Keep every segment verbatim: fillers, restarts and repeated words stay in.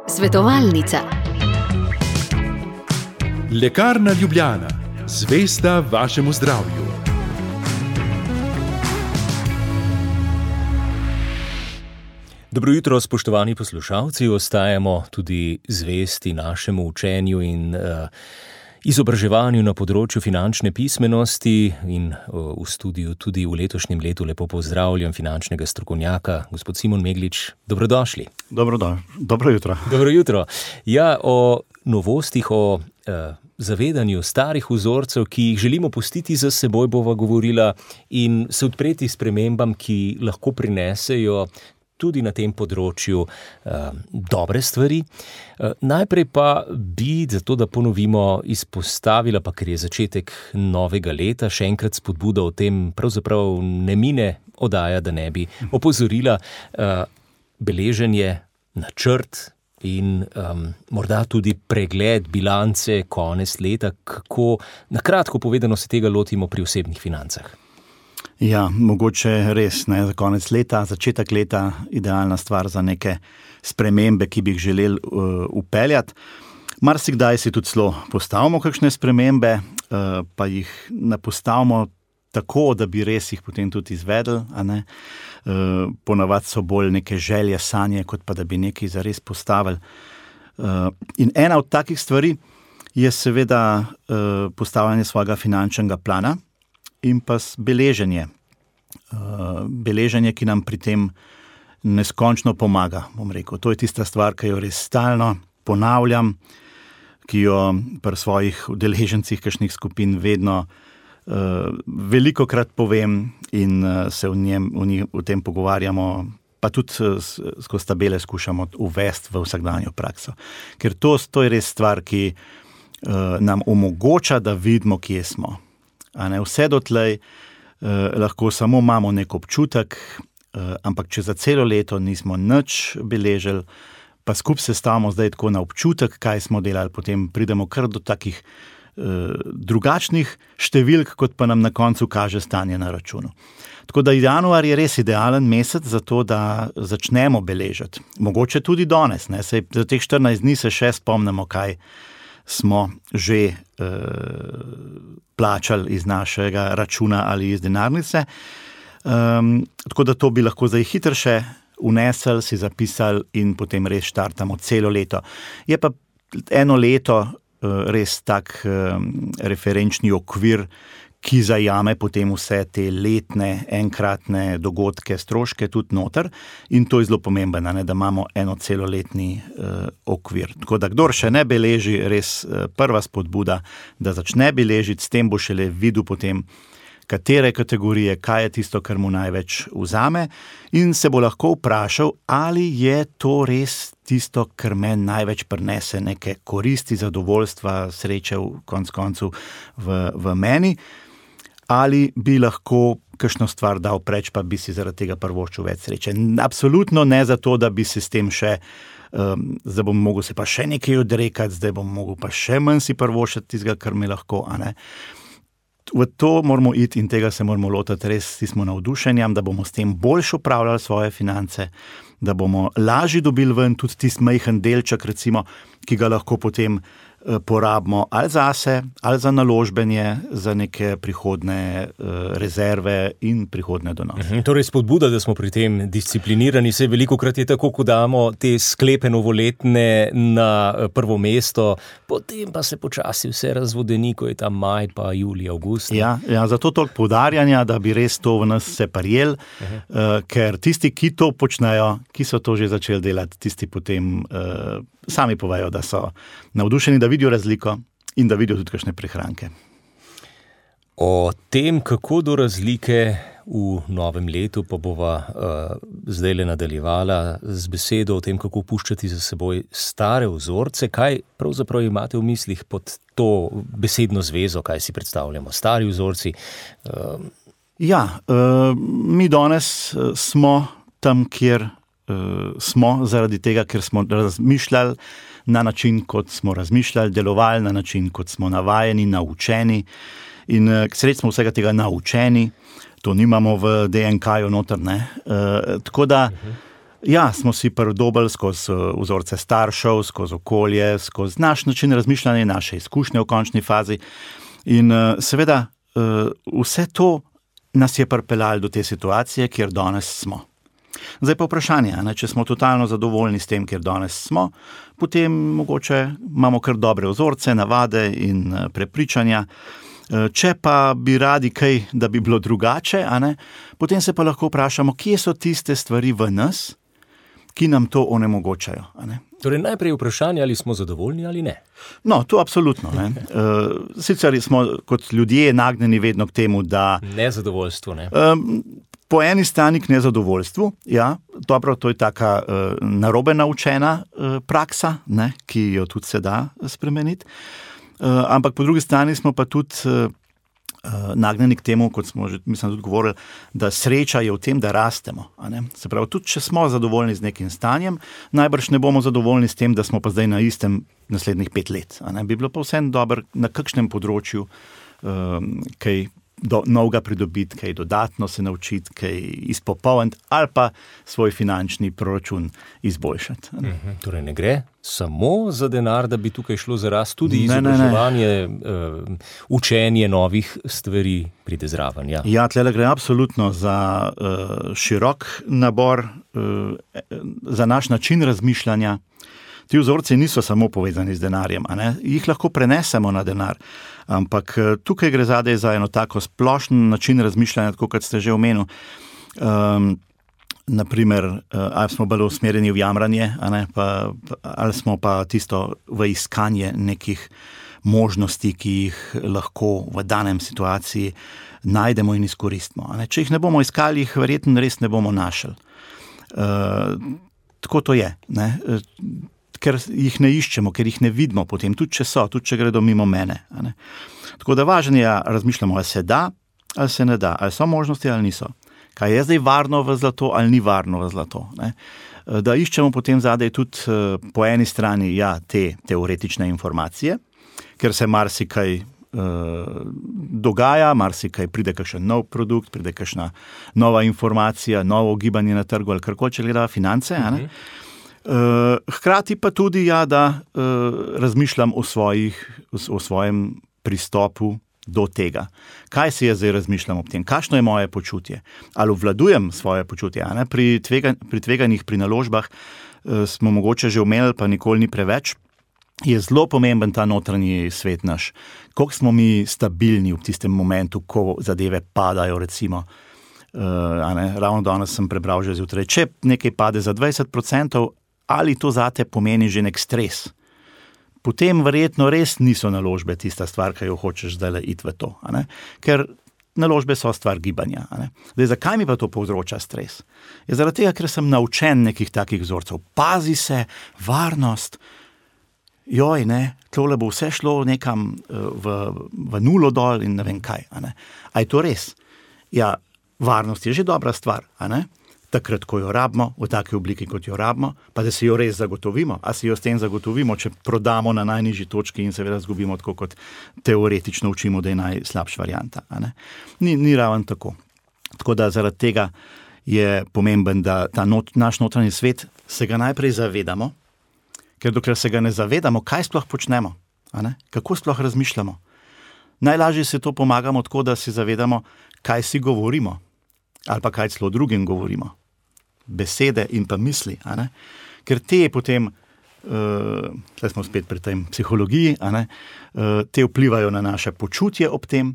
Svetovalnica. Lekarna Ljubljana, zvesta vašemu zdravju. Dobro jutro, spoštovani poslušalci, ostajamo tudi zvesti našemu učenju in uh, izobraževanju na področju finančne pismenosti in uh, v studiu tudi v letošnjem letu lepo pozdravljam finančnega strokovnjaka, gospod Simon Meglič. Dobrodošli. Dobro, do, dobro jutro. Dobro jutro. Ja, o novostih, o uh, zavedanju starih vzorcev, ki jih želimo pustiti za seboj, bova govorila in se odpreti spremembam, ki lahko prinesejo tudi na tem področju uh, dobre stvari. Uh, najprej pa bi, zato da ponovimo, izpostavila, pa ker je začetek novega leta, še enkrat spodbuda o tem, pravzaprav ne mine oddaja, da ne bi opozorila uh, beleženje, načrt in um, morda tudi pregled bilance konec leta, kako, na kratko povedano, se tega lotimo pri osebnih financah. Ja, mogoče res, ne, za konec leta, začetek leta, idealna stvar za neke spremembe, ki bi jih želeli uh, upeljati. Marsikdaj si tudi celo postavimo kakšne spremembe, uh, pa jih ne postavimo tako, da bi res jih potem tudi izvedli, a ne. Uh, ponavadi so bolj neke želje, sanje, kot pa da bi nekaj zares postavili. Uh, in ena od takih stvari je seveda uh, postavljanje svojega finančnega plana, in pa beleženje. Uh, beleženje, ki nam pri tem neskončno pomaga, bom rekel. To je tista stvar, ki jo res stalno ponavljam, ki jo pri svojih udeležencih kakšnih skupin vedno uh, velikokrat povem in uh, se v, njem, v, njih, v tem pogovarjamo, pa tudi uh, skozi tabele skušamo uvesti v vsakdanjo prakso. Ker to, to je res stvar, ki uh, nam omogoča, da vidimo, kje smo. A ne, vse dotlej eh, lahko samo imamo nek občutek, eh, ampak če za celo leto nismo nič beležili, pa skup se stavimo zdaj tako na občutek, kaj smo delali, potem pridemo kar do takih eh, drugačnih številk, kot pa nam na koncu kaže stanje na računu. Tako da januar je res idealen mesec za to, da začnemo beležiti. Mogoče tudi danes, ne, saj za teh štirinajst dni se še spomnimo, kaj smo že eh, plačali iz našega računa ali iz denarnice. Um, tako da to bi lahko zdaj hitro še unesli, si zapisali in potem res štartamo celo leto. Je pa eno leto eh, res tak eh, referenčni okvir, ki zajame potem vse te letne, enkratne dogodke, stroške tudi noter in to je zelo pomembno, ne, da imamo eno celoletni uh, okvir. Tako da kdor še ne beleži, res uh, prva spodbuda, da začne beležiti, s tem bo šele videl potem, katere kategorije, kaj je tisto, kar mu največ vzame in se bo lahko vprašal, ali je to res tisto, kar meni največ prinese neke koristi, zadovoljstva, sreče v konc koncu v, v meni. Ali bi lahko kakšno stvar dal preč, pa bi si zaradi tega privoščil več sreče. Absolutno ne zato, da bi se s tem še, um, zdaj bom mogel se pa še nekaj odrekati, zdaj bom mogel pa še manj si privoščiti tistega, kar mi lahko, a ne. V to moramo iti in tega se moramo lotiti res s tistim navdušenjem, da bomo s tem boljše upravljali svoje finance, da bomo lažje dobili ven tudi tisti majhen delček, recimo, ki ga lahko potem porabimo ali zase, ali za naložbenje, za neke prihodne uh, rezerve in prihodne donose. Mhm, torej spodbuda, da smo pri tem disciplinirani, se velikokrat je tako, ko damo te sklepe novoletne na prvo mesto, potem pa se počasi vse razvodeni, ko je tam maj, pa julij, avgust. Ja, ja, zato toliko poudarjanja, da bi res to v nas se prijel, uh, ker tisti, ki to počnejo, ki so to že začeli delati, tisti potem uh, sami povejo, da so navdušeni, da vidijo razliko in da vidijo tudi kakšne prihranke. O tem, kako do razlike v novem letu, pa bova uh, zdaj le nadaljevala z besedo o tem, kako puščati za seboj stare vzorce. Kaj pravzaprav imate v mislih pod to besedno zvezo, kaj si predstavljamo? Stari vzorci? Uh... Ja, uh, mi danes uh, smo tam, kjer uh, smo, zaradi tega, ker smo razmišljali na način, kot smo razmišljali, delovali na način, kot smo navajeni, naučeni in uh, sredi smo vsega tega naučeni, to nimamo v D N K-ju noter, ne. Uh, tako da Ja, smo si pridobili skozi vzorce staršev, skozi okolje, skozi naš način razmišljanja, naše izkušnje v končni fazi. In seveda vse to nas je pripeljalo do te situacije, kjer danes smo. Zdaj pa vprašanje, ne, če smo totalno zadovoljni s tem, kjer danes smo, potem mogoče imamo kar dobre vzorce, navade in prepričanja. Če pa bi radi kaj, da bi bilo drugače, a ne, potem se pa lahko vprašamo, kje so tiste stvari v nas, ki nam to onemogočajo. A ne. Torej najprej vprašanje, ali smo zadovoljni ali ne. No, to absolutno. Ne. Sicer smo kot ljudje nagnjeni vedno k temu, da... Nezadovoljstvo, ne? Um, po eni strani k nezadovoljstvu, ja, dobro, to je taka uh, narobe naučena uh, praksa, ne, ki jo tudi se da spremeniti. Uh, ampak po drugi strani smo pa tudi uh, uh, nagnjeni k temu, kot smo že, mislim, tudi govorili, da sreča je v tem, da rastemo. A ne? Se pravi, tudi če smo zadovoljni z nekim stanjem, najbrž ne bomo zadovoljni s tem, da smo pa zdaj na istem naslednjih pet let. A ne? Bi bilo pa vseeno dobro na kakšnem področju um, kaj do, novega pridobiti, kaj dodatno se naučiti, kaj izpopolniti ali pa svoj finančni proračun izboljšati. Mhm, torej ne gre samo za denar, da bi tukaj šlo za rast, tudi izobraževanje, uh, učenje novih stvari pride zraven. Ja, ja tlele gre absolutno za uh, širok nabor, uh, za naš način razmišljanja. Ti vzorci niso samo povezani z denarjem, a ne? Jih lahko prenesemo na denar, ampak tukaj gre zadaj za eno tako splošen način razmišljanja, tako kot ste že omenili. Um, naprimer, ali smo bolj usmerjeni v jamranje, a ne? Pa, ali smo pa tisto v iskanje nekih možnosti, ki jih lahko v danem situaciji najdemo in izkoristimo. A ne? Če jih ne bomo iskali, jih verjetno res ne bomo našli. Uh, tako to je, ne? Ker jih ne iščemo, ker jih ne vidimo potem, tudi če so, tudi če gredo mimo mene. A ne? Tako da važno je, razmišljamo, ali se da, ali se ne da, ali so možnosti, ali niso. Kaj je zdaj varno v zlato, ali ni varno v zlato. Ne? Da iščemo potem zadaj tudi po eni strani ja, te teoretične informacije, ker se marsikaj uh, dogaja, marsikaj pride kakšen nov produkt, pride kakšna nova informacija, novo gibanje na trgu ali karkoli, če gleda finance, a ne? Mhm. Uh, hkrati pa tudi, ja, da uh, razmišljam o, svojih, o svojem pristopu do tega. Kaj si jaz zdaj razmišljam ob tem? Kakšno je moje počutje? Ali obvladujem svoje počutje? A ne? Pri, tvega, pri tveganjih, pri naložbah uh, smo mogoče že omenili, pa nikoli ni preveč, je zelo pomemben ta notranji svet naš. Koliko smo mi stabilni v tistem momentu, ko zadeve padajo, recimo. Uh, a ne? Ravno danes sem prebral že zjutraj. Če nekaj pade za dvajset procentov, ali to zate pomeni že nek stres, potem verjetno res niso naložbe tista stvar, ki jo hočeš zdaj iti v to. A ne? Ker naložbe so stvar gibanja. A ne? Zdaj, zakaj mi pa to povzroča stres? Je zaradi tega, ker sem naučen nekih takih vzorcev. Pazi se, varnost, joj, ne, tole bo vse šlo nekam v, v nulo dol in ne vem kaj. A ne? A je to res? Ja, varnost je že dobra stvar, a ne? Takrat, ko jo rabimo, v taki obliki, kot jo rabimo, pa da si jo res zagotovimo. A si jo s tem zagotovimo, če prodamo na najnižji točki in seveda zgubimo tako, kot teoretično učimo, da je najslabša varianta. A ne? Ni, ni raven tako. Tako da zaradi tega je pomemben, da ta not, naš notranji svet se ga najprej zavedamo, ker dokler se ga ne zavedamo, kaj sploh počnemo, a ne? Kako sploh razmišljamo. Najlažje se to pomagamo tako, da si zavedamo, kaj si govorimo, ali pa kaj celo drugim govorimo. Besede in pa misli, a ne? Ker te potem, uh, tle smo spet pri tej psihologiji, a ne? Uh, te vplivajo na naše počutje ob tem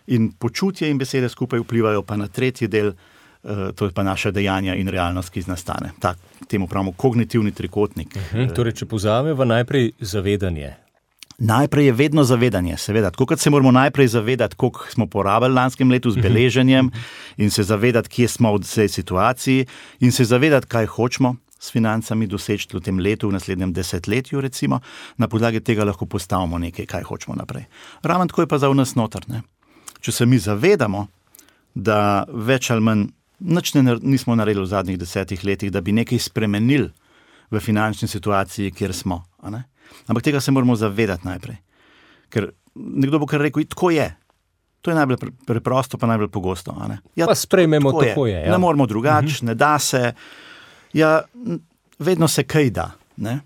in počutje in besede skupaj vplivajo pa na tretji del, uh, to je pa naše dejanja in realnost, ki nastane. Tak, temu pravimo kognitivni trikotnik. Uh-huh. Torej, če povzameva najprej zavedanje. Najprej je vedno zavedanje, seveda. Tako kot se moramo najprej zavedati, koliko smo porabili lanskem letu z beleženjem in se zavedati, kje smo v tej situaciji in se zavedati, kaj hočemo s financami doseči v tem letu, v naslednjem desetletju recimo. Na podlagi tega lahko postavimo nekaj, kaj hočemo naprej. Ravno tako je pa za v nas noter. Ne? Če se mi zavedamo, da več ali manj nič ne, nismo naredili v zadnjih desetih letih, da bi nekaj spremenili v finančni situaciji, kjer smo, a ne? Ampak tega se moramo zavedati najprej. Ker nekdo bo kar rekel, tako je. To je najbolj preprosto, pa najbolj pogosto. A ne? Ja, pa sprejmemo, tako je. Tako je ja. Ne moramo drugače, uh-huh. Ne da se. Ja, vedno se kaj da, ne?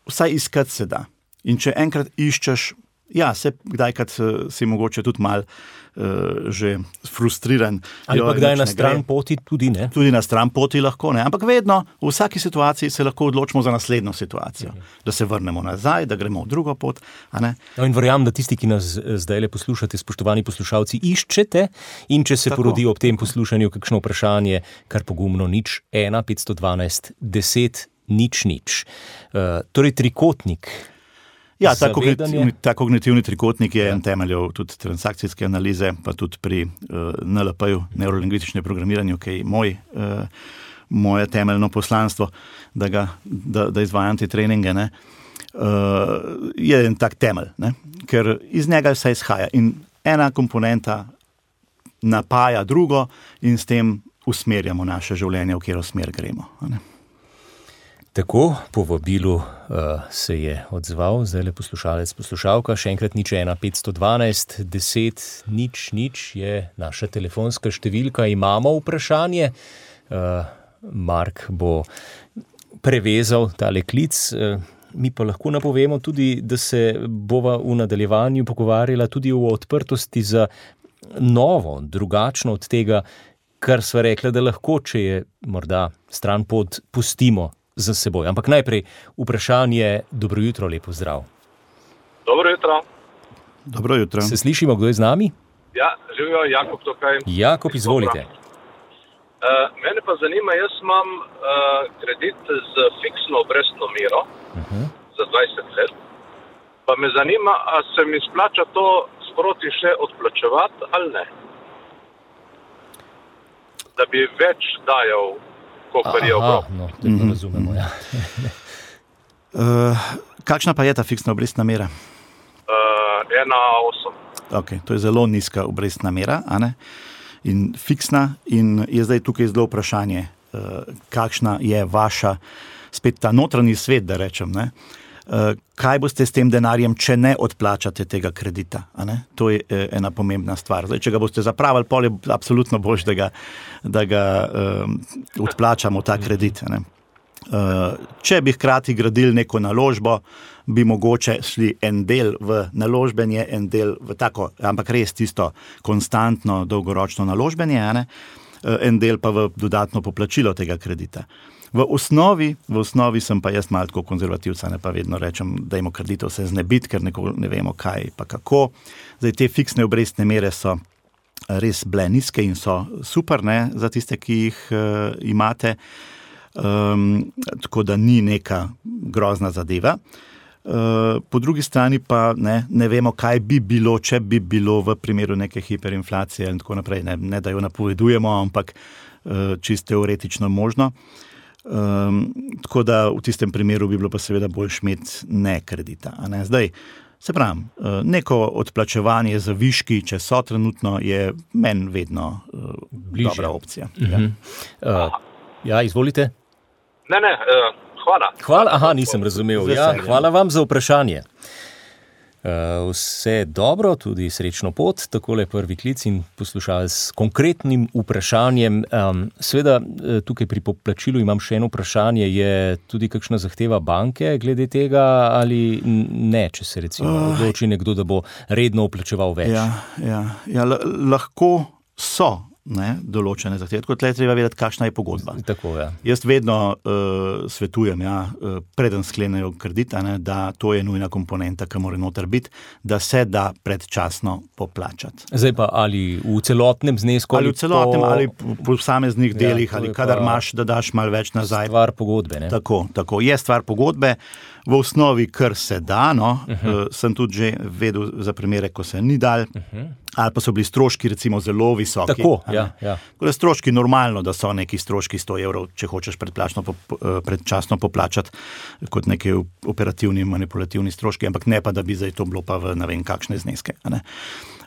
Vsaj iskati se da. In če enkrat iščeš, ja, se kdajkrat si mogoče tudi mal uh, že frustriran. Ali pa kdaj na stran poti tudi, ne? Tudi na stran poti lahko, ne? Ampak vedno, v vsaki situaciji se lahko odločimo za naslednjo situacijo. Mhm. Da se vrnemo nazaj, da gremo v drugo pot, a ne? No in verjamem, da tisti, ki nas zdaj le poslušate, spoštovani poslušalci, iščete in če se Tako. porodi ob tem poslušanju kakšno vprašanje, kar pogumno nič, ena, petsto dvanajst, deset, nič, nič. Uh, torej trikotnik. Ja, ta kognitivni, ta kognitivni trikotnik je ja. en temeljev tudi transakcijske analize, pa tudi pri uh, N L P-ju, neurolingvističnem programiranju, ki je moj, uh, moje temeljno poslanstvo, da, ga, da, da izvajam te treninge, ne, uh, je en tak temelj, ne, ker iz njega vse izhaja in ena komponenta napaja drugo in s tem usmerjamo naše življenje, v katero smer gremo. Ne. Tako, po vabilu uh, se je odzval, zdaj le poslušalec, poslušalka, še enkrat nič ena, petsto dvanajst, deset, nič, nič je naša telefonska številka. Imamo vprašanje, uh, Mark bo prevezal tale klic, uh, mi pa lahko napovemo tudi, da se bova v nadaljevanju pogovarjala tudi o odprtosti za novo, drugačno od tega, kar sva rekla, da lahko, če je morda stran pot, pustimo za seboj. Ampak najprej vprašanje, dobro jutro, lepo zdrav. Dobro jutro. Dobro jutro. Se slišimo, kdo je z nami? Ja, živijo, Jakob tukaj. Jakob, izvolite. Uh, mene pa zanima, jaz imam uh, kredit z fiksno obrestno mero uh-huh. za dvajset let, pa me zanima, a se mi splača to sproti še odplačevati ali ne? Da bi več dajal Aha, no, tako razumemo, ja. uh, kakšna pa je ta fiksna obrestna mera? Uh, ena osem. Ok, to je zelo nizka obrestna mera, a ne? In fiksna, in je zdaj tukaj zelo vprašanje, uh, kakšna je vaša, spet ta notranji svet, da rečem, ne? Uh, kaj boste s tem denarjem, če ne odplačate tega kredita, a ne? To je uh, ena pomembna stvar. Zdaj, če ga boste zapravili, pol je absolutno boljše, da ga, da ga um, odplačamo ta kredit, a ne? Uh, če bi hkrati gradili neko naložbo, bi mogoče šli en del v naložbenje, en del v tako, ampak res tisto konstantno, dolgoročno naložbenje, a ne? Uh, en del pa v dodatno poplačilo tega kredita. V osnovi, v osnovi sem pa jaz malo tako konzervativca, ne pa vedno rečem, da imamo kreditov se znebiti, ker neko ne vemo kaj pa kako. Zdaj, te fiksne obrestne mere so res bile nizke in so super, ne, za tiste, ki jih uh, imate, um, tako da ni neka grozna zadeva. Uh, po drugi strani pa ne, ne vemo, kaj bi bilo, če bi bilo v primeru neke hiperinflacije in tako naprej. Ne, ne da jo napovedujemo, ampak uh, čisto teoretično možno. Um, tako da v tistem primeru bi bilo pa seveda bolj imeti ne kredita. A ne? Zdaj, se pravim, neko odplačevanje za viški, če so trenutno, je meni vedno uh, dobra opcija. Uh-huh. Ja. Uh, ja, izvolite. Ne, ne, uh, hvala. Hvala, aha, nisem razumel. Ja, hvala vam za vprašanje. Uh, vse dobro, tudi srečno pot, takole prvi klic in poslušalec s konkretnim vprašanjem. Um, Sveda, tukaj pri poplačilu imam še eno vprašanje, je tudi kakšna zahteva banke glede tega ali ne, če se recimo uh, odloči nekdo, da bo redno vplačeval več? Ja, ja, ja l- lahko so. Ne, določene zahteve. Tako tle treba vedeti, kakšna je pogodba. Tako, ja. Jaz vedno uh, svetujem, ja, uh, preden sklenejo kredita, ne, da to je nujna komponenta, ki mora noter biti, da se da predčasno poplačati. Zdaj pa ali v celotnem znesku? Ali v celotnem, po... ali po posameznih delih, ja, ali kadar imaš, da daš malo več nazaj. Stvar pogodbe, ne? Tako, tako. Je stvar pogodbe. V osnovi, kar se da, no, uh-huh. uh, sem tudi že vedel za primere, ko se ni dal, uh-huh. ali pa so bili stroški recimo zelo visoki. Tako, ja, ja. Tako stroški normalno, da so neki stroški sto evrov, če hočeš predplačno, predčasno poplačati kot neki operativni, manipulativni stroški, ampak ne pa, da bi zdaj to bilo pa v ne vem kakšne zneske. Ne?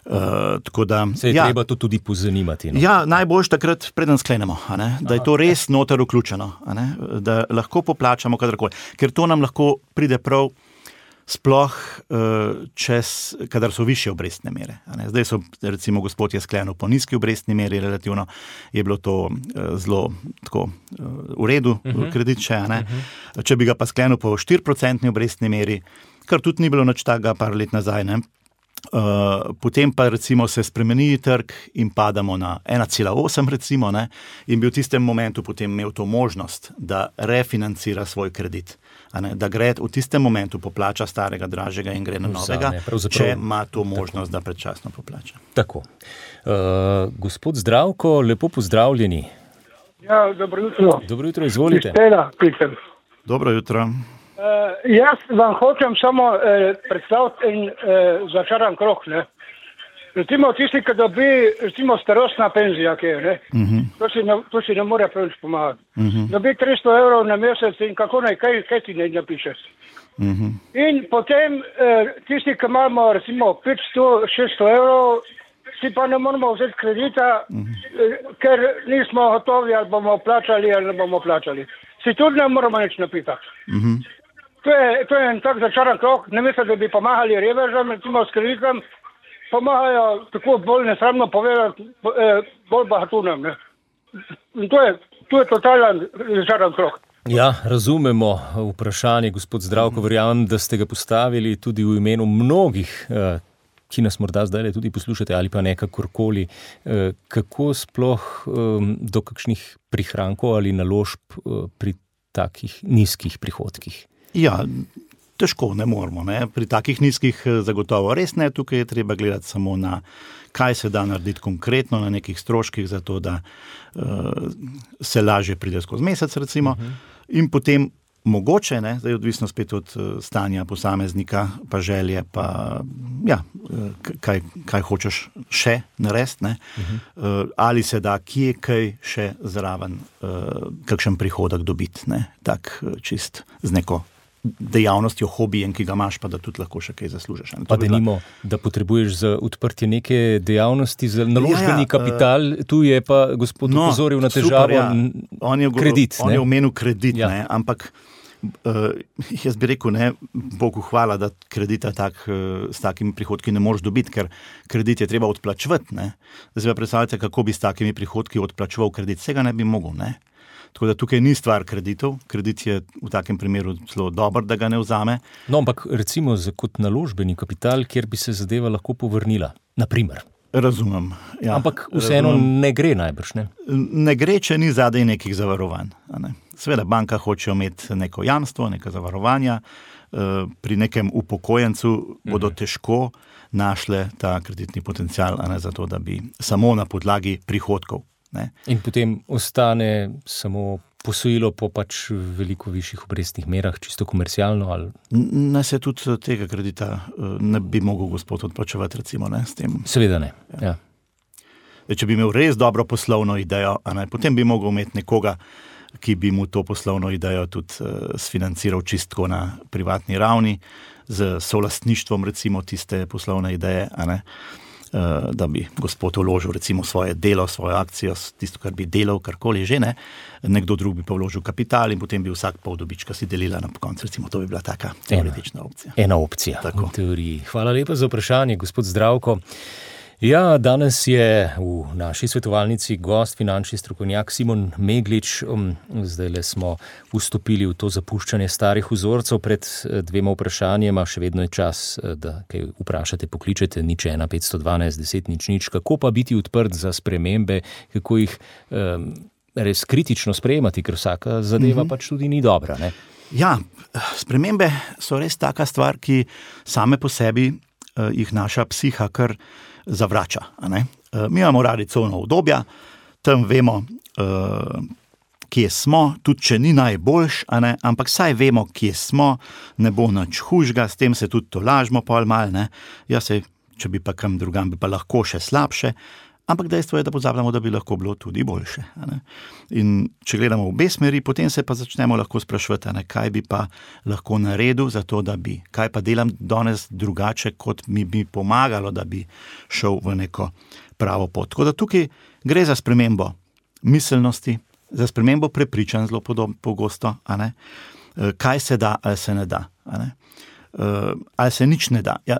Uh, tako da, se je ja, treba to tudi pozanimati. No? Ja, najboljš takrat preden sklenemo, a ne? Da je to res noter vključeno, a ne? Da lahko poplačamo kadarkoli. Ker to nam lahko pride prav sploh čez, kadar so višje obrestne mere. Zdaj so, recimo, gospod je sklenil po nizki obrestni meri, relativno je bilo to zelo tako v redu, uh-huh. kredit še, ne. Uh-huh. Če bi ga pa sklenil po štiri procentni obrestni meri, kar tudi ni bilo nič takega par let nazaj, ne. Uh, potem pa recimo se spremeni trg in padamo na ena cela osem recimo, ne, in bi v tistem momentu potem imel to možnost, da refinancira svoj kredit, a ne, da gre v tistem momentu poplača starega, dražjega in gre na novega, če ima to možnost, tako, da predčasno poplača. Tako. Uh, gospod Zdravko, lepo pozdravljeni. Ja, dobro jutro. Dobro jutro, izvolite. Kristela, Peter. Dobro jutro. Uh, jaz vam hočem samo uh, predstaviti en uh, začaran krog, ne. Recimo tisti, ki dobi, recimo starostna penzija, ki je, ne. Uh-huh. To si ne, to si ne more preveč pomagati. Uh-huh. Dobi tristo evrov na mesec in kako naj, kaj, kaj ti ne napišeš. Uh-huh. In potem uh, tisti, ki imamo recimo petsto, šeststo evrov, si pa ne moramo vzeti kredita, uh-huh. uh, ker nismo gotovi, ali bomo plačali, ali ne bomo plačali. Si tudi ne moramo nič napitati. Uh-huh. To je, to je en tak začaran krog, ne mislim, da bi pomagali revežam, recimo s kreditom, pomagajo tako bolj nesramno povedati, bolj bahatunem, ne. In to je, to je totalen začaran krog. Ja, razumemo vprašanje, gospod Zdravko, verjamem, da ste ga postavili tudi v imenu mnogih, ki nas morda zdaj tudi poslušate ali pa nekakorkoli. Kako sploh do kakšnih prihrankov ali naložb pri takih nizkih prihodkih? Ja, težko, ne moramo, ne. Pri takih nizkih zagotovo res ne, tukaj je treba gledati samo na, kaj se da narediti konkretno na nekih stroških, zato da uh, se lažje pride skozi mesec, recimo, uh-huh. in potem mogoče, ne, zdaj odvisno spet od uh, stanja posameznika, pa želje, pa ja, kaj, kaj hočeš še narediti, ne, uh-huh. uh, ali se da kje kaj še zraven, uh, kakšen prihodek dobiti, ne, tak čist z neko dejavnostjo, hobijem, ki ga imaš, pa da tudi lahko še kaj zaslužiš. Pa da nimo, da potrebuješ za odprtje neke dejavnosti, za naložbeni ja, ja, kapital, uh, tu je pa gospod no, upozoril na težavo, super, ja. on je, kredit. On ne? je omenil kredit, ja. ne, ampak uh, jaz bi rekel, ne, Bogu hvala, da kredita tak, uh, s takimi prihodki ne moreš dobiti, ker kredit je treba odplačevati, ne. Zdaj pa predstavljate, kako bi s takimi prihodki odplačeval kredit, vsega ne bi mogel, ne. Tako da tukaj ni stvar kreditov, kredit je v takem primeru zelo dober, da ga ne vzame. No, ampak recimo za kot naložbeni kapital, kjer bi se zadeva lahko povrnila, na primer. Razumem. Ja, ampak vseeno razumem. Ne gre najbrž, ne? Ne gre, če ni zadaj nekih zavarovanj. Ne? Seveda banka hoče imeti neko jamstvo, neka zavarovanja, pri nekem upokojencu bodo mhm. težko našle ta kreditni potencial, a ne, zato, da bi samo na podlagi prihodkov. Ne? In potem ostane samo posojilo po pač veliko višjih obrestnih merah, čisto komercialno? Ali... Ne, se tudi tega kredita ne bi mogel gospod odplačevati, recimo, ne, s tem. Seveda ne, ja. ja. Če bi imel res dobro poslovno idejo, a ne, potem bi mogel imeti nekoga, ki bi mu to poslovno idejo tudi uh, sfinanciral čistko na privatni ravni, z solastništvom, recimo, tiste poslovne ideje, a ne. Da bi gospod vložil recimo svoje delo, svojo akcijo, tisto, kar bi delal, karkoli že, ne, nekdo drug bi pa vložil kapital in potem bi vsak pol dobička si delila na koncu, recimo, to bi bila taka teoretična opcija. Ena opcija, tako. V teoriji. Hvala lepa za vprašanje, gospod Zdravko. Ja, danes je v naši svetovalnici gost, finančni strokovnjak Simon Meglič. Zdajle smo vstopili v to zapuščanje starih vzorcev pred dvema vprašanjema. Še vedno je čas, da kaj vprašate, pokličete nič ena petsto dvanajst deset nič nič. Kako pa biti odprt za spremembe, kako jih um, res kritično sprejemati, ker vsaka zadeva mm-hmm. pač tudi ni dobra, ne? Ja, spremembe so res taka stvar, ki same po sebi uh, jih naša psiha kar zavrača. A ne? Mi imamo radi covna obdobja, tam vemo, uh, kje smo, tudi če ni najboljš, a ne? Ampak saj vemo, kje smo, ne bo nič hujšega, s tem se tudi to lažmo pol mal, ne? Ja, se, če bi pa kam drugam, bi pa lahko še slabše, ampak dejstvo je, da pozabljamo, da bi lahko bilo tudi boljše. A ne? In če gledamo v obe smeri, potem se pa začnemo lahko sprašovati, a ne, kaj bi pa lahko naredil za to, da bi, kaj pa delam danes drugače, kot mi bi pomagalo, da bi šel v neko pravo pot. Tako da tukaj gre za spremembo miselnosti, za spremembo prepričanj zelo podobno, pogosto, a ne, kaj se da ali se ne da. A ne. uh, ali se nič ne da. Ja,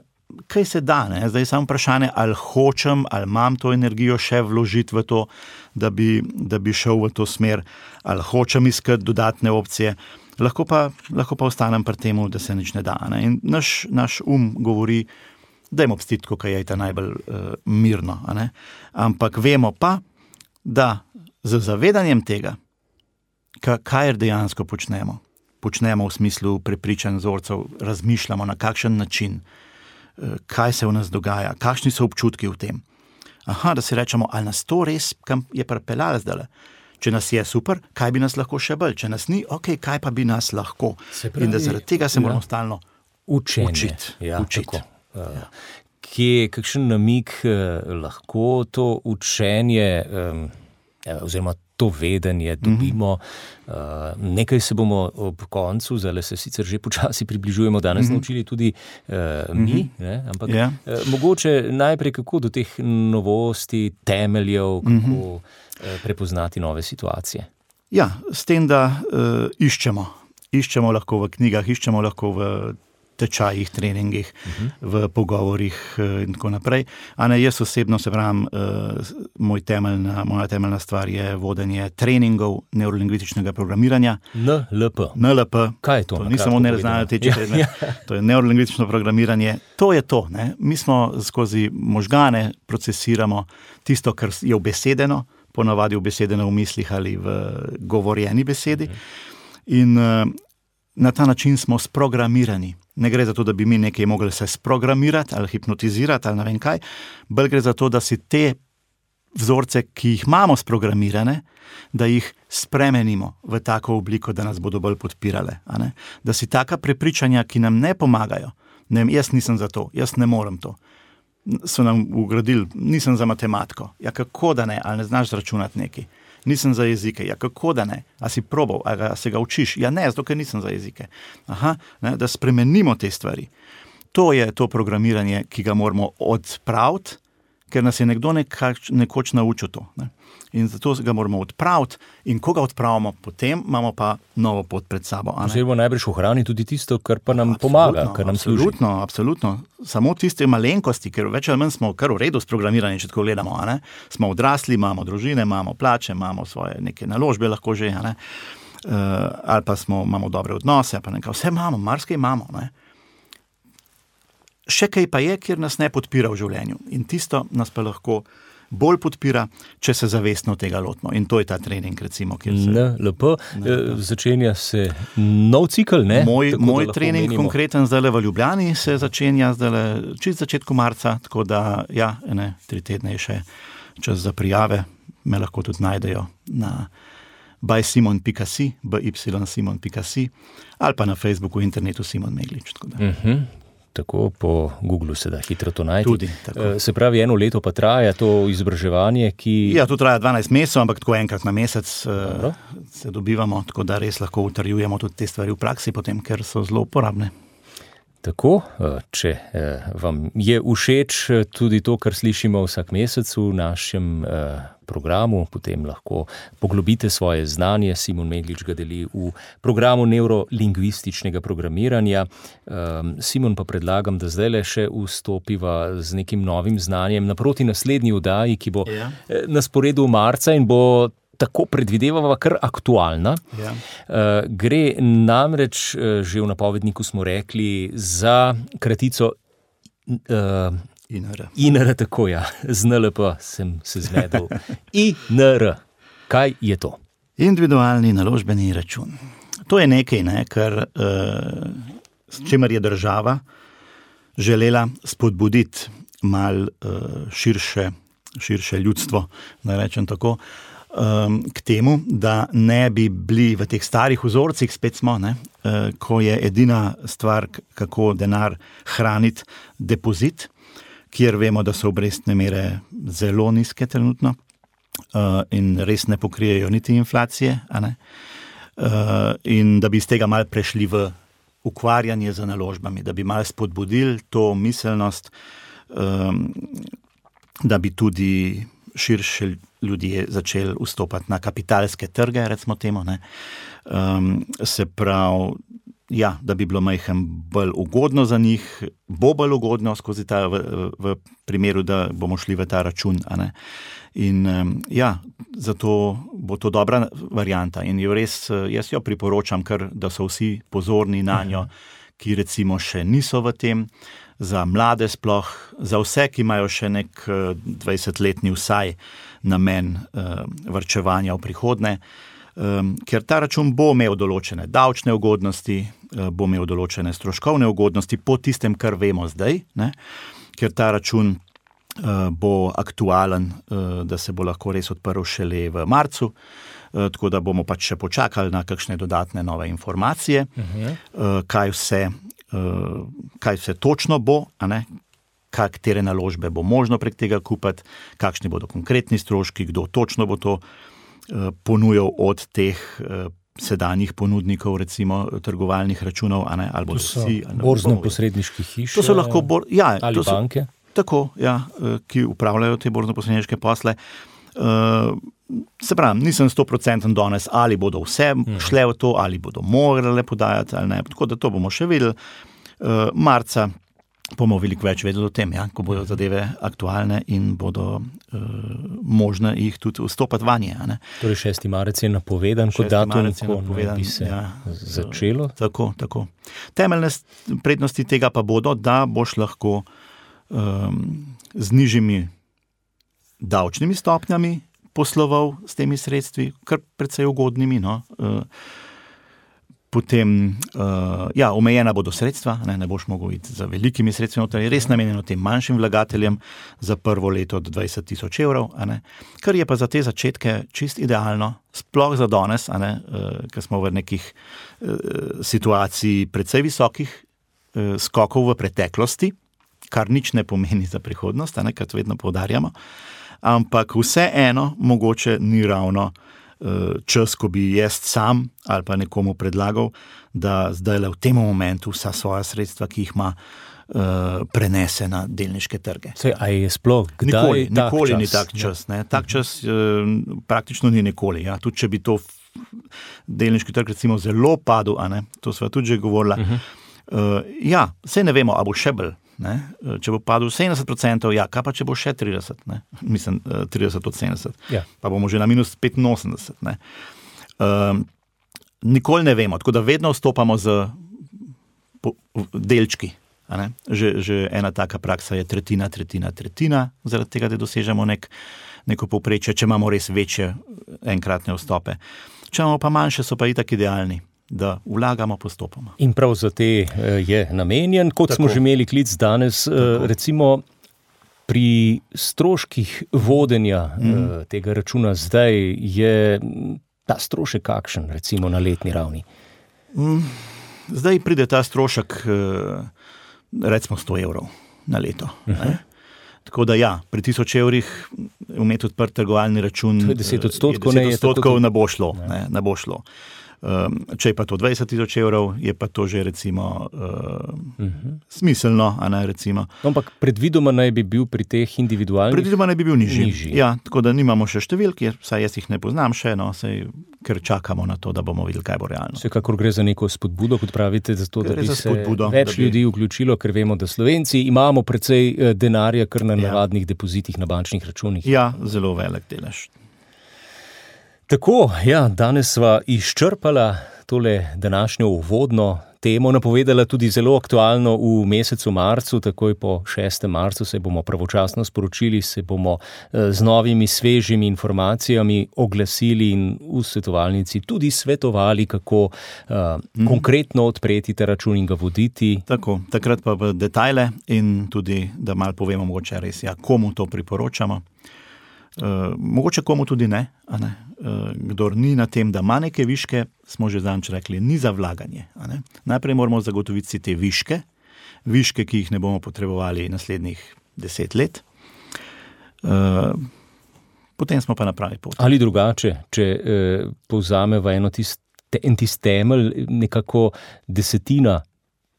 kaj se da, ne? Zdaj je samo vprašanje, ali hočem, ali imam to energijo še vložiti v to, da bi, da bi šel v to smer, ali hočem iskati dodatne opcije. Lahko pa, lahko pa ostanem pri temu, da se nič ne da. Ne? In naš, naš um govori, dajmo pstiti, ko je ta najbolj uh, mirno. A ne? Ampak vemo pa, da z zavedanjem tega, kaj dejansko počnemo, počnemo v smislu prepričanj vzorcev, razmišljamo na kakšen način, kaj se v nas dogaja, kakšni so občutki v tem. Aha, da si rečemo, ali nas to res kam je pripeljalo zdaj. Če nas je super, kaj bi nas lahko še bolj? Če nas ni, ok, kaj pa bi nas lahko? Pravi, in da zaradi tega se moramo ja. stalno Učenje. učiti. Ja, učiti. Uh, ja. Kje, kakšen namig uh, lahko to učenje um, oziroma to vedenje dobimo. Mm-hmm. Uh, nekaj se bomo ob koncu, zdaj se sicer že počasi približujemo, danes mm-hmm. naučili tudi uh, mi, mm-hmm. ne? Ampak yeah. uh, mogoče najprej kako do teh novosti, temeljev, kako mm-hmm. uh, prepoznati nove situacije. Ja, s tem, da uh, iščemo. Iščemo lahko v knjigah, iščemo lahko v tečajih, treningih, uh-huh. v pogovorih in tako naprej. A ne, jaz osebno se pravim, uh, moj temeljna, moja temeljna stvar je vodenje treningov neurolingvističnega programiranja. N L P. N L P. Kaj je to? To ni samo neznanje teče, ja, ja. To je neurolingvistično programiranje. To je to. Ne? Mi smo skozi možgane procesiramo tisto, kar je ubesedeno, ponavadi ubesedeno v mislih ali v govorjeni besedi. Uh-huh. In uh, na ta način smo sprogramirani. Ne gre za to, da bi mi nekaj mogli se sprogramirati ali hipnotizirati ali ne vem kaj, bolj gre za to, da si te vzorce, ki jih imamo sprogramirane, da jih spremenimo v tako obliko, da nas bodo bolj podpirale. A ne? Da si taka prepričanja, ki nam ne pomagajo, ne vem, jaz nisem za to, jaz ne morem to, so nam ugradili, nisem za matematiko, ja kako da ne, ali ne znaš zračunati nekaj. Nisem za jezike. Ja, kako da ne? A si probal, a, ga, a se ga učiš? Ja, ne, zato, ker nisem za jezike. Aha, ne, da spremenimo te stvari. To je to programiranje, ki ga moramo odpraviti, ker nas je nekdo nekač, nekoč naučil to. Ne? In zato ga moramo odpraviti in ko ga odpravimo, potem imamo pa novo pot pred sabo. Oziroma najbrž ohrani tudi tisto, kar pa nam absolutno, pomaga, kar nam služi. Absolutno, absolutno. Samo tiste malenkosti, ker več ali manj smo kar v redu sprogramirani, če tako gledamo. A ne? Smo odrasli, imamo družine, imamo plače, imamo svoje neke naložbe lahko že, a ne? Uh, ali pa smo, imamo dobre odnose, pa nekaj, vse imamo, marsikaj imamo. Ne? Še kaj pa je, kjer nas ne podpira v življenju. In tisto nas pa lahko bolj podpira, če se zavestno tega lotimo. In to je ta trening, recimo. Kjer se... N L P. Začenja se nov cikl, ne? Moj, moj trening omenimo. Konkreten zdaj v Ljubljani se začenja zdaj čist začetku marca, tako da ja, ene, tri tedne je še čas za prijave. Me lahko tudi najdejo na by simon pika si, b y simon pika si, ali pa na Facebooku, internetu Simon Meglič. Tako da. Mhm. Tako po Googlu se da hitro to najti. Tudi, tako. Se pravi, eno leto pa traja to izobraževanje, ki... Ja, to traja dvanajst mesecev, ampak tako enkrat na mesec Dobro. se dobivamo, tako da res lahko utrjujemo tudi te stvari v praksi potem, ker so zelo uporabne. Tako, če vam je všeč tudi to, kar slišimo vsak mesec v našem programu, potem lahko poglobite svoje znanje. Simon Meglič ga deli v programu neurolingvističnega programiranja. Simon, pa predlagam, da zdaj le še vstopiva z nekim novim znanjem naproti naslednji oddaji, ki bo ja. na sporedu marca in bo tako predvidevava kar aktualna. Ja. Uh, gre namreč, uh, že v napovedniku smo rekli, za kratico uh, I N R. I N R, tako ja. Z N L P sem se zmedel. I N R. Kaj je to? Individualni naložbeni račun. To je nekaj, ne, kar, uh, s čimer je država želela spodbuditi mal uh, širše, širše ljudstvo, da rečem tako, k temu, da ne bi bili v teh starih vzorcih, spet smo, ne, ko je edina stvar, kako denar hraniti, depozit, kjer vemo, da so obrestne mere zelo nizke trenutno in res ne pokrijejo niti inflacije, a ne, in da bi iz tega malo prešli v ukvarjanje z naložbami, da bi malo spodbudili to miselnost, da bi tudi širše ljudje začeli vstopati na kapitalske trge, recimo temu, ne. Um, se pravi, ja, da bi bilo majhen bolj ugodno za njih, bo bolj ugodno skozi ta, v, v primeru, da bomo šli v ta račun. A ne? In ja, zato bo to dobra varianta in jo res, jaz jo priporočam, ker da so vsi pozorni na njo, ki recimo še niso v tem, za mlade sploh, za vse, ki imajo še nek dvajsetletni vsaj namen uh, varčevanja v prihodnje, um, ker ta račun bo imel določene davčne ugodnosti, uh, bo imel določene stroškovne ugodnosti po tistem, kar vemo zdaj, ne? Ker ta račun uh, bo aktualen, uh, da se bo lahko res odprl šele v marcu, uh, tako da bomo pač še počakali na kakšne dodatne nove informacije, uh-huh. uh, kaj vse Uh, kaj vse točno bo, a ne? Katere naložbe bo možno prek tega kupiti, kakšni bodo konkretni stroški, kdo točno bo to uh, ponujal od teh uh, sedanjih ponudnikov, recimo trgovalnih računov, a ne? Ali bodo vsi, borzno-posredniški hiše, to so lahko bor, ja, ali to so, banke. Tako, ja, uh, ki upravljajo te borzno-posredniške posle. Uh, se pravi, nisem sto procentov danes, ali bodo vse šle v to, ali bodo morale podajati, ali ne, tako da to bomo še videli. Uh, marca bomo veliko več vedeli o tem, ja, ko bodo zadeve aktualne in bodo uh, možne jih tudi vstopati vanje. Ne. Torej šesti marec je napovedan kot datum, ko bi se ja, začelo. Tako, tako. Temeljne prednosti tega pa bodo, da boš lahko um, z nižjimi davčnimi stopnjami posloval s temi sredstvi, kar precej ugodnimi. No. Potem, ja, omejena bodo sredstva, ne, ne boš mogel iti za velikimi sredstvi, to je res namenjeno tem manjšim vlagateljem za prvo leto od dvajset tisoč evrov, a ne, kar je pa za te začetke čist idealno, sploh za danes, a ne, ker smo v nekih situaciji precej visokih skokov v preteklosti, kar nič ne pomeni za prihodnost, a ne, kar vedno poudarjamo. Ampak vseeno mogoče ni ravno uh, čas, ko bi jaz sam ali pa nekomu predlagal, da zdaj v tem momentu vsa svoja sredstva, ki jih ima, uh, prenese na delniške trge. Sej, a je sploh kdaj nikoli, tak nikoli čas? Ni tak čas. Ne? Tak čas uh, praktično ni nikoli. Ja? Tudi če bi to delniški trg recimo zelo padel, a ne? To sva tudi že govorila. Uh-huh. Uh, ja, sej ne vemo, a bo še bolj. Ne? Če bo padel sedemdeset procentov, ja, kaj pa če bo še trideset, ne? Mislim, trideset od sedemdeset, ja. Pa bomo že na minus petinosemdeset. Ne? Um, nikoli ne vemo, tako da vedno vstopamo z po, delčki. A ne? Že, že ena taka praksa je tretjina, tretjina, tretjina, zaradi tega, da dosežemo nek, neko povprečje, če imamo res večje enkratne vstope. Če imamo pa manjše, so pa itak idealni, da vlagamo postopoma. In prav za te je namenjen, kot Tako. Smo že imeli klic danes, Tako. Recimo pri stroških vodenja mm. tega računa zdaj je ta strošek kakšen, recimo na letni ravni? Zdaj pride ta strošek recimo sto evrov na leto. Uh-huh. Tako da ja, pri tisoč evrih imeti odprt trgovalni račun, to je deset odstotkov, je deset odstotkov ne bo šlo. Ne. Ne, ne bo šlo. Um, če je pa to dvajset tisoč evrov, je pa to že recimo uh, uh-huh. smiselno, a ne recimo. Ampak predvidoma naj bi bil pri teh individualnih? Predvidoma naj bi bil nižji. nižji. Ja, tako da nimamo še številk, saj jaz jih ne poznam še, no, saj, ker čakamo na to, da bomo videli, kaj bo realno. Vsekakor gre za neko spodbudo, kot pravite, za to, da bi se spodbudo, več bi... ljudi vključilo, ker vemo, da Slovenci imamo precej denarja, kar na ja. navadnih depozitih na bančnih računih. Ja, zelo velik delež. Tako, ja, danes sva izčrpala tole današnjo uvodno temo, napovedala tudi zelo aktualno v mesecu marcu, takoj po šestem marcu se bomo pravočasno sporočili, se bomo z novimi svežimi informacijami oglasili in v svetovalnici tudi svetovali, kako uh, mm. konkretno odpreti ta račun in ga voditi. Tako, takrat pa v detajle in tudi, da malo povemo mogoče res, ja, komu to priporočamo. Uh, mogoče komu tudi ne, a ne? Uh, kdor ni na tem, da ima neke viške, smo že zanč rekli, ni za vlaganje. A ne? Najprej moramo zagotoviti si te viške, viške, ki jih ne bomo potrebovali naslednjih deset let. Uh, potem smo pa na pravi poti. Ali drugače, če uh, povzameva eno tist, en tist temelj, nekako desetina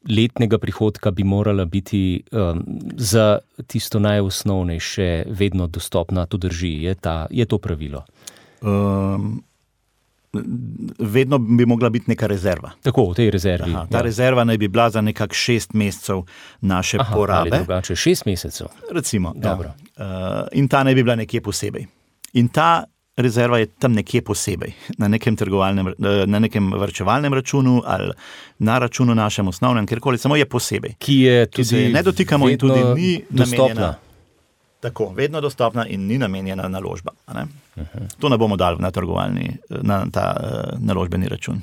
letnega prihodka bi morala biti um, za tisto najosnovnejše vedno dostopna, to drži, je, ta, je to pravilo? Um, vedno bi mogla biti neka rezerva. Tako, v tej rezervi. Aha, ta ja. rezerva naj bi bila za nekak šest mesecev naše Aha, porabe. Ali drugače, šest mesecev. Recimo, Dobro. Ja. Uh, in ta naj bi bila nekje posebej. In ta rezerva je tam nekje posebej, na nekem trgovalnem, na nekem varčevalnem računu ali na računu našem osnovnem, kjerkoli, samo je posebej. Ki je tudi ki se ne dotikamo in tudi ni dostopna. Namenjena. Tako, vedno dostopna in ni namenjena naložba. Ne? Uh-huh. To ne bomo dali na trgovalni, na ta uh, naložbeni račun.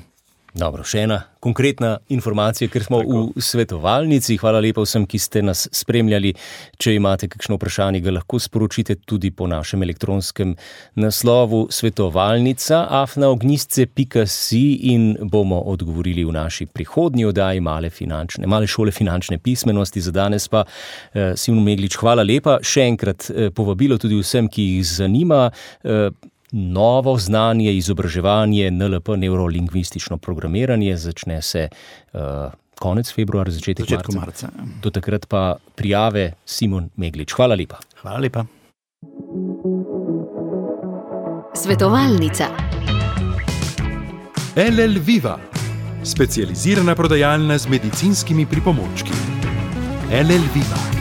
Dobro, še ena konkretna informacija, ker smo Tako. v svetovalnici. Hvala lepa vsem, ki ste nas spremljali. Če imate kakšno vprašanje, ga lahko sporočite tudi po našem elektronskem naslovu svetovalnica afna ognjisce pika si in bomo odgovorili v naši prihodnji oddaji male, finančne, male šole finančne pismenosti. Za danes pa eh, Simon Meglič, hvala lepa. Še enkrat eh, povabilo tudi vsem, ki jih zanima eh, novo znanje, izobraževanje, N L P, neurolingvistično programiranje, začne se uh, konec februarja, začetek marca. marca. Do takrat pa prijave Simon Meglič. Hvala lepa. Hvala lepa. Svetovalnica. L L Viva, specializirana prodajalna z medicinskimi pripomočki. L L Viva.